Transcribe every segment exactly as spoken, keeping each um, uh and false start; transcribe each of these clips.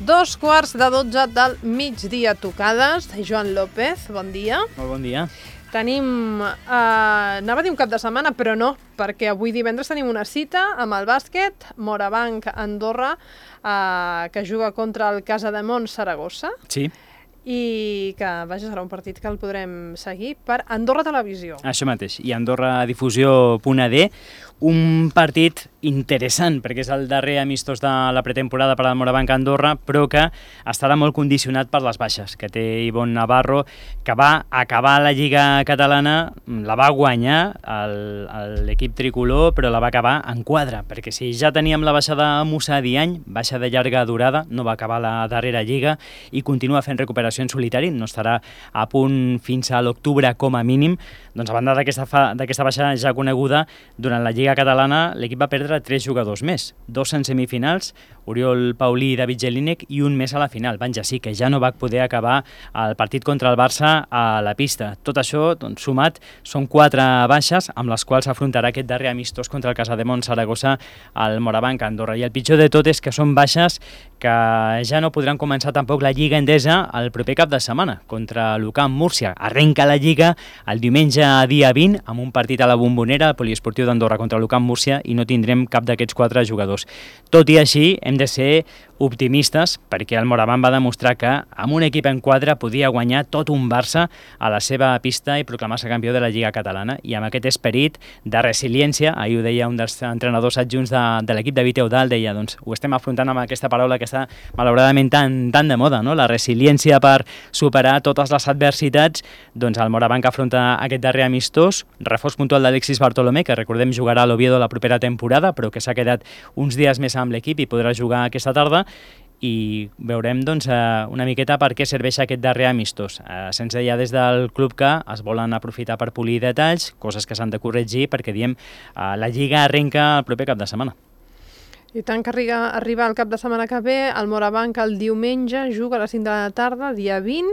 Dos quarts de dotze del migdia tocades. Joan López, bon dia. Molt bon dia. Tenim, eh, anava a dir un cap de setmana, però no, perquè avui divendres tenim una cita amb el bàsquet, Morabanc Andorra, eh, que juga contra el Casademont Saragossa. Sí. I que, vaja, serà un partit que el podrem seguir per Andorra Televisió. Això mateix, i Andorra Difusió punt a de, un partit interessant, perquè és el darrer amistós de la pretemporada per al Morabanc Andorra, però que estarà molt condicionat per les baixes, que té Ivonne Navarro, que va acabar la Lliga Catalana, la va guanyar l'equip tricolor, però la va acabar en quadre, perquè si ja teníem la baixa de Musa Diany, baixa de llarga durada, no va acabar la darrera Lliga i continua fent recuperació en solitari, no estarà a punt fins a l'octubre com a mínim. Doncs a banda d'aquesta baixa ja coneguda, durant la Lliga Catalana l'equip va perdre tres jugadors més, dos en semifinals, Oriol Paulí i David Jelinek, i un més a la final, Van Jassí, que ja no va poder acabar el partit contra el Barça a la pista. Tot això, doncs, sumat, són quatre baixes amb les quals afrontarà aquest darrer amistós contra el Casademont Saragossa al Morabanc Andorra. I el pitjor de tot és que són baixes que ja no podran començar tampoc la Lliga Endesa el proper cap de setmana, contra l'Ucamp Múrcia. Arrenca la Lliga el diumenge dia vint, amb un partit a la Bombonera, al Poliesportiu d'Andorra contra l'Ucamp Múrcia, i no tindrem cap d'aquests quatre jugadors. Tot i així, hem de ser optimistes, perquè el Morabanc va demostrar que amb un equip en quadre podia guanyar tot un Barça a la seva pista i proclamar-se campió de la Lliga Catalana. I amb aquest esperit de resiliència, ahir ho deia un dels entrenadors adjunts de, de l'equip, David Eudal, deia, doncs ho estem afrontant amb aquesta paraula que està malauradament tan, tan de moda, no? La resiliència per superar totes les adversitats. Doncs el Morabanc afronta aquest darrer amistós, reforç puntual d'Alexis Bartolomé, que recordem jugarà a l'Oviedo la propera temporada, però que s'ha quedat uns dies més amb l'equip i podrà jugar aquesta tarda, i veurem doncs, una miqueta per què serveix aquest darrer amistós. Se'ns deia des del club que es volen aprofitar per polir detalls, coses que s'han de corregir, perquè diem la Lliga arrenca el proper cap de setmana. I tant que arriba, arriba el cap de setmana que ve, el Morabanc el diumenge juga a les cinc de la tarda, dia vint,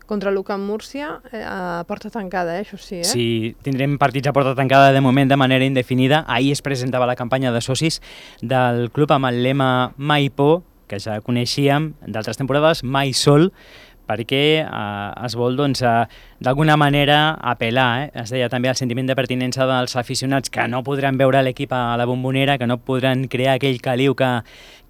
contra l'Ucamp Múrcia, eh, a porta tancada, eh, això sí, eh? Sí, tindrem partits a porta tancada de moment de manera indefinida. Ahir es presentava la campanya de socis del club amb el lema Mai por, que ja coneixíem d'altres temporades, Mai sol, perquè eh, es vol doncs, eh, d'alguna manera apel·lar, eh? Es deia també el sentiment de pertinença dels aficionats que no podran veure l'equip a la Bombonera, que no podran crear aquell caliu que,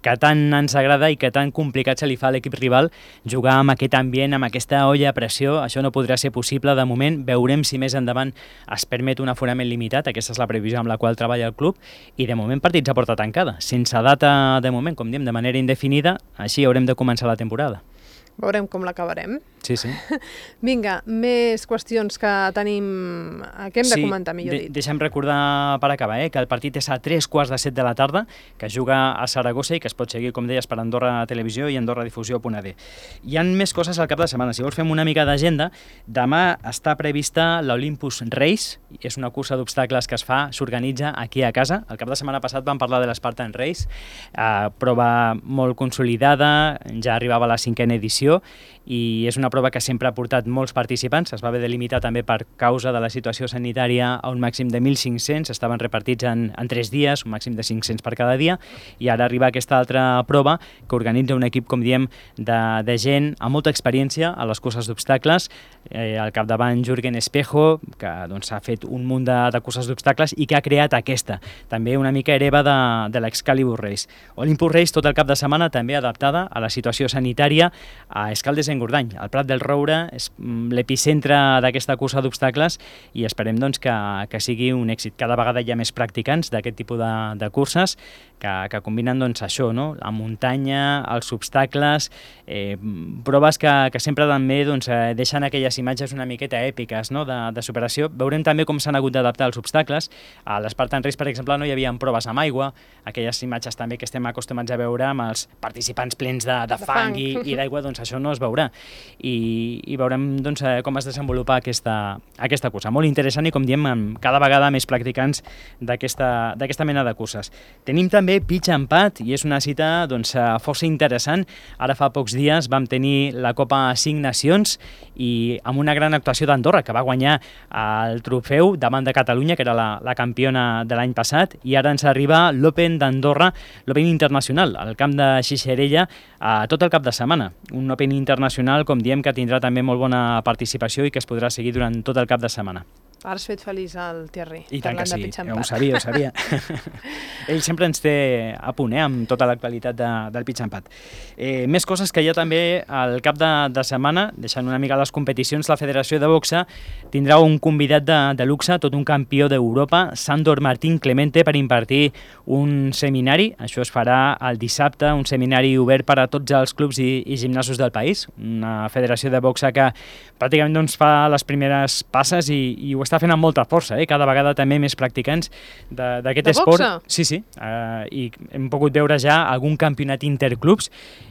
que tant ens agrada i que tan complicat se li fa a l'equip rival jugar amb aquest ambient, amb aquesta olla a pressió. Això no podrà ser possible de moment. Veurem si més endavant es permet un aforament limitat, aquesta és la previsió amb la qual treballa el club, i de moment partits a porta tancada, sense data de moment, com diem, de manera indefinida. Així haurem de començar la temporada. Veurem com l'acabarem. Sí, sí. Vinga, més qüestions que tenim, que hem de sí, comentar, millor de, dit. Deixa'm recordar per acabar, eh, que el partit és a tres quarts de set de la tarda, que juga a Saragossa i que es pot seguir, com deies, per Andorra Televisió i Andorra Difusió punt a de. Hi ha més coses al cap de setmana. Si vols fem una mica d'agenda, demà està prevista l'Olympus Race, és una cursa d'obstacles que es fa, s'organitza aquí a casa. El cap de setmana passat vam parlar de l'Spartan Race, eh, prova molt consolidada, ja arribava a la cinquena edició, i és una prova que sempre ha portat molts participants. Es va haver de limitar també per causa de la situació sanitària a un màxim de mil cinc-cents, estaven repartits en, en tres dies, un màxim de cinc-cents per cada dia, i ara arriba aquesta altra prova que organitza un equip, com diem, de, de gent amb molta experiència a les curses d'obstacles, eh, al capdavant Jürgen Espejo, que doncs, ha fet un munt de, de curses d'obstacles i que ha creat aquesta, també una mica hereva de, de l'Excalibur Race. Olympus Race tot el cap de setmana també adaptada a la situació sanitària a Escaldes-Engordany. El Prat del Roure és l'epicentre d'aquesta cursa d'obstacles i esperem doncs, que, que sigui un èxit. Cada vegada hi ha més practicants d'aquest tipus de, de curses que, que combinen doncs, això, no? La muntanya, els obstacles, eh, proves que, que sempre també doncs, eh, deixen aquelles imatges una miqueta èpiques, no? de, de superació. Veurem també com s'han hagut d'adaptar els obstacles. A l'Spartan Race, per exemple, no hi havia proves amb aigua, aquelles imatges també que estem acostumats a veure amb els participants plens de, de, de fang, fang. i, i d'aigua, doncs això no es veurà. I, i veurem doncs, com es desenvolupa aquesta, aquesta cursa. Molt interessant i, com diem, amb cada vegada més practicants d'aquesta mena de curses. Tenim també pitch and pad i és una cita doncs, força interessant. Ara fa pocs dies vam tenir la Copa Cinc Nacions i amb una gran actuació d'Andorra, que va guanyar el trofeu davant de Catalunya, que era la, la campiona de l'any passat, i ara ens arriba l'Open d'Andorra, l'Open Internacional, al camp de Xixerella, a tot el cap de setmana. Un Open Internacional, com diem, que tindrà també molt bona participació i que es podrà seguir durant tot el cap de setmana. Ara has fet feliç el Thierry. I tant que sí, ho sabia, ho sabia. Ell sempre ens té a punt, eh, amb tota l'actualitat de, del pitch and pad. Eh, més coses que hi ha també al cap de, de setmana, deixant una mica les competicions, la Federació de Boxa tindrà un convidat de, de luxe, tot un campió d'Europa, Sandor Martín Clemente, per impartir un seminari. Això es farà el dissabte, un seminari obert per a tots els clubs i, i gimnasos del país. Una federació de boxa que pràcticament doncs, fa les primeres passes i, i ho està fent amb molta força, eh? Cada vegada també més practicants d'aquest esport. Boxa? Sí, sí, uh, i hem pogut veure ja algun campionat interclubs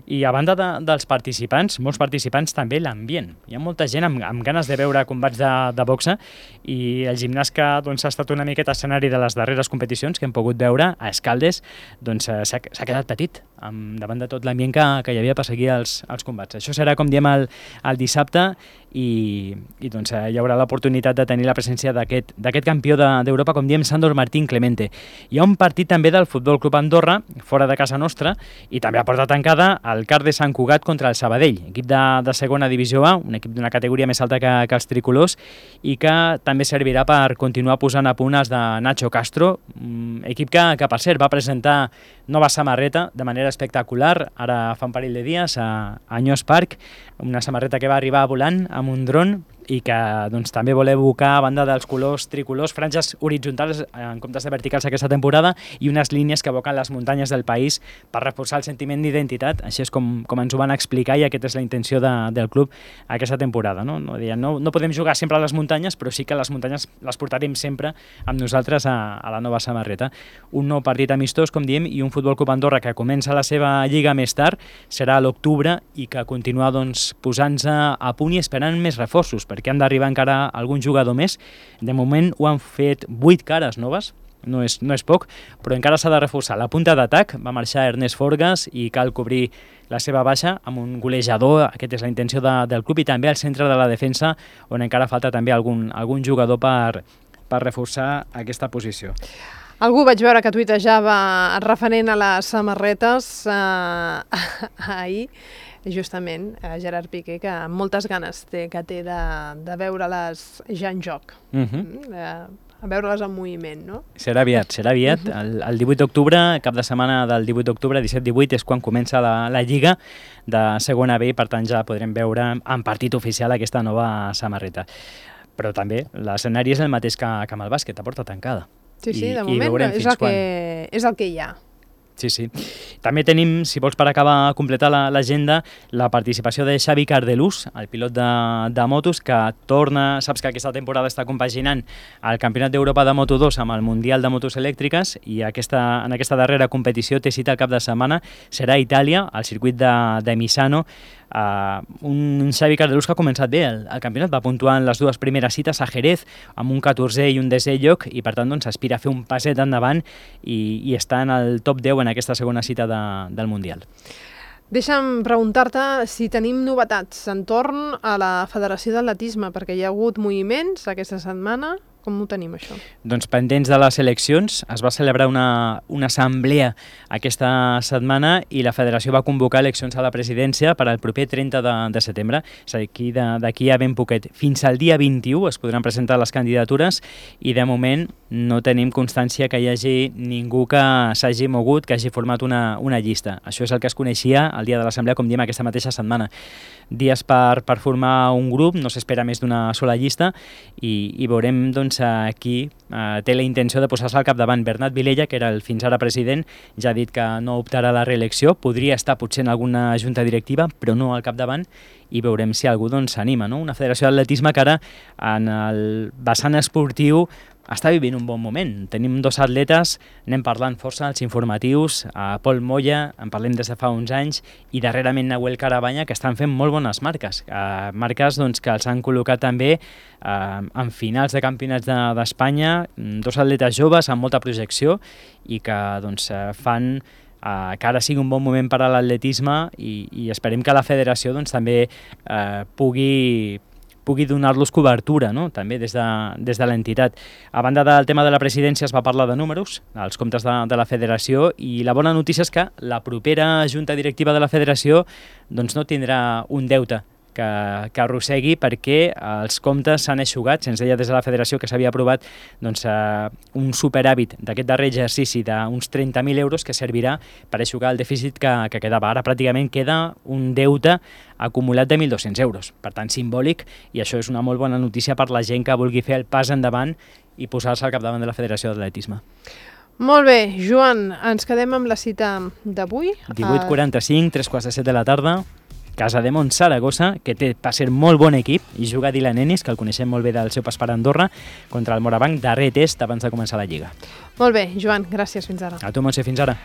i a banda de, dels participants, molts participants també l'ambient. Hi ha molta gent amb, amb ganes de veure combats de, de boxa i el gimnàs que doncs, ha estat una miqueta escenari de les darreres competicions que hem pogut veure a Escaldes, doncs s'ha quedat petit amb, davant de tot l'ambient que, que hi havia per seguir els, els combats. Això serà, com diem, el, el dissabte i, i doncs, hi haurà l'oportunitat de tenir la presència d'aquest campió d'Europa, com diem, Sandor Martín Clemente. Hi ha un partit també del Futbol Club Andorra, fora de casa nostra, i també a porta tancada el Car de Sant Cugat contra el Sabadell, equip de, de segona divisió A, un equip d'una categoria més alta que, que els tricolors, i que també servirà per continuar posant a punt els de Nacho Castro, equip que, que per cert, va presentar nova samarreta de manera espectacular, ara fa un parell de dies a, a Anyós Park, una samarreta que va arribar volant amb un dron i que doncs, també vol evocar, a banda dels colors tricolors, franges horitzontals en comptes de verticals aquesta temporada i unes línies que evoquen les muntanyes del país per reforçar el sentiment d'identitat. Així és com, com ens ho van explicar i aquesta és la intenció de, del club aquesta temporada. No? No, no, no podem jugar sempre a les muntanyes, però sí que les muntanyes les portarem sempre amb nosaltres a, a la nova samarreta. Un nou partit amistós, com diem, i un Futbol Club Andorra que comença la seva lliga més tard, serà a l'octubre i que continua doncs, posant-se a punt i esperant més reforços, perquè han d'arribar encara algun jugador més. De moment ho han fet vuit cares noves, no és, no és poc, però encara s'ha de reforçar. La punta d'atac va marxar Ernest Forgas i cal cobrir la seva baixa amb un golejador, aquesta és la intenció de, del club, i també al centre de la defensa, on encara falta també algun, algun jugador per, per reforçar aquesta posició. Algú vaig veure que tuitejava referent a les samarretes eh, ahir, justament, a Gerard Piqué, que moltes ganes té, que té de, de veure-les ja en joc, uh-huh. de, a veure-les en moviment, no? Serà aviat, serà aviat. Uh-huh. el, el divuit d'octubre, cap de setmana del divuit d'octubre, disset divuit, és quan comença la, la Lliga de segona B, per tant ja podrem veure en partit oficial aquesta nova samarreta. Però també l'escenari és el mateix que, que amb el bàsquet, a porta tancada. Sí, sí, I, de moment és el, que, és el que hi ha. Sí, sí. També tenim, si vols per acabar completar l'agenda, la, la participació de Xavi Cardelús, el pilot de, de motos, que torna, saps que aquesta temporada està compaginant el Campionat d'Europa de Moto dos amb el Mundial de Motos Elèctriques i aquesta, en aquesta darrera competició té cita al cap de setmana, serà a Itàlia, al circuit de, de Misano. Uh, un Xavi Cardelús que ha començat bé el, el campionat, va puntuar en les dues primeres cites a Jerez amb un catorzè i un desè lloc i per tant doncs, aspira a fer un passet endavant i, i està en el top deu en aquesta segona cita de, del Mundial. Deixa'm preguntar-te si tenim novetats entorn a la Federació d'Atletisme, perquè hi ha hagut moviments aquesta setmana. Com ho tenim, això? Doncs pendents de les eleccions, es va celebrar una, una assemblea aquesta setmana i la federació va convocar eleccions a la presidència per al proper trenta de, de setembre. És a dir, d'aquí a ben poquet. Fins al dia vint-i-u es podran presentar les candidatures i de moment no tenim constància que hi hagi ningú que s'hagi mogut, que hagi format una, una llista. Això és el que es coneixia el dia de l'assemblea, com diem, aquesta mateixa setmana. Dies per, per formar un grup, no s'espera més d'una sola llista i, i veurem doncs, aquí eh, té la intenció de posar-se al capdavant. Bernat Vilella, que era el fins ara president, ja ha dit que no optarà a la reelecció, podria estar potser en alguna junta directiva, però no al capdavant, i veurem si algú s'anima. Doncs, no? Una federació d'atletisme que ara, en el vessant esportiu, està vivint un bon moment. Tenim dos atletes, anem parlant força als informatius, a Pol Moya, en parlem des de fa uns anys, i darrerament Nahuel Carabanya, que estan fent molt bones marques. Eh, marques doncs, que els han col·locat també eh, en finals de campionats d'Espanya, de, dos atletes joves amb molta projecció i que doncs, fan eh, que ara sigui un bon moment per a l'atletisme i, i esperem que la federació doncs, també eh, pugui pugui donar-los cobertura, no? També des de, des de l'entitat. A banda del tema de la presidència es va parlar de números, els comptes de, de la federació, i la bona notícia és que la propera junta directiva de la federació doncs, no tindrà un deute que, que arrossegui perquè els comptes s'han eixugat. Se'ns deia des de la federació que s'havia aprovat doncs, eh, un superàvit d'aquest darrer exercici d'uns trenta mil euros que servirà per eixugar el dèficit que, que quedava. Ara pràcticament queda un deute acumulat de mil dos-cents euros, per tant simbòlic, i això és una molt bona notícia per la gent que vulgui fer el pas endavant i posar-se al capdavant de la Federació d'Atletisme. Molt bé, Joan, ens quedem amb la cita d'avui. divuit quaranta-cinc, tres quarts de set de la tarda, Casademont Saragossa, que té, va ser molt bon equip, i juga Dylan Ennis, que el coneixem molt bé del seu pas per Andorra, contra el Morabanc, darrer test abans de començar la Lliga. Molt bé, Joan, gràcies, fins ara. A tu, Montse, fins ara.